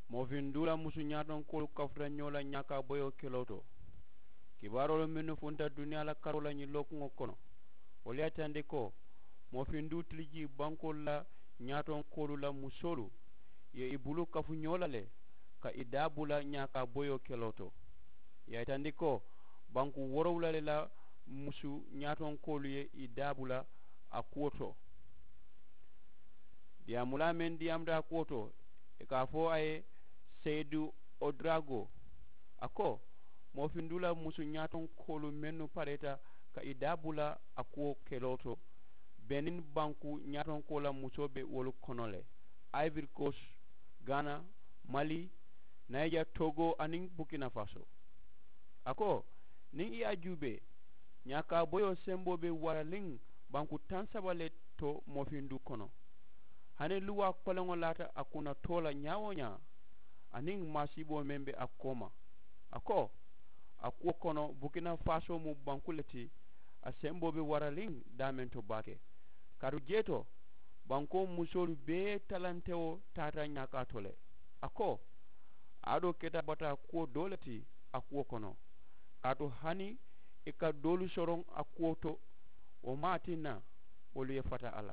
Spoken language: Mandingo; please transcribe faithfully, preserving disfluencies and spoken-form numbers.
Moofiŋ duu la musu ñaatonkoolu kafuta ñoo la ñaakaa boyoo keloo to. Kibaaroolu mennu funta duniyaa la karoo la ñiŋ lookuŋo kono, wolu ye a yitandi ko moofiŋ duu tilijii bankoolu la ñaatonkoolu la musoolu ye i bulu kafu ñoo la le ka i daa bula ñaakaa boyoo keloo to. Ì ye a yitandi ko banku woorowula le la musu ñaatonkoolu ye i daa bula a kuwo to. Diyaamulaa meŋ diyaamuta a kuwo to, ì ka a fo a ye seyidu odirago, a ko moofindu la musu ñaatonkoolu mennu pareeta ka i daa bula a kuwo keloo to, benin banku ñaatonkoo la musoo be wolu kono le, ayiviri koosi, gaana, mali, nayija, togo aniŋ bukina faso. A ko niŋ i ye a juubee, ñaakaa boyoo semboo be waraliŋ banku taŋ saba le to moofindu kono. Hani luwaa koleŋo laata a kunna too la ñaa-wo-ñaa aniŋ maasiiboo meŋ be a kooma. A ko a kuwo kono bukina faasoo mu banku le ti. A semboo be waraliŋ daameŋ to baake. Kaatu jee to bankoo musoolu bee talantewo taata ñaakaa to le. A ko aadoo keta bataa kuwo doo le ti a kuwo kono, kaatu hani i ka doolu soroŋ a kuwo to, wo maŋ a tinna wolu ye fata a la.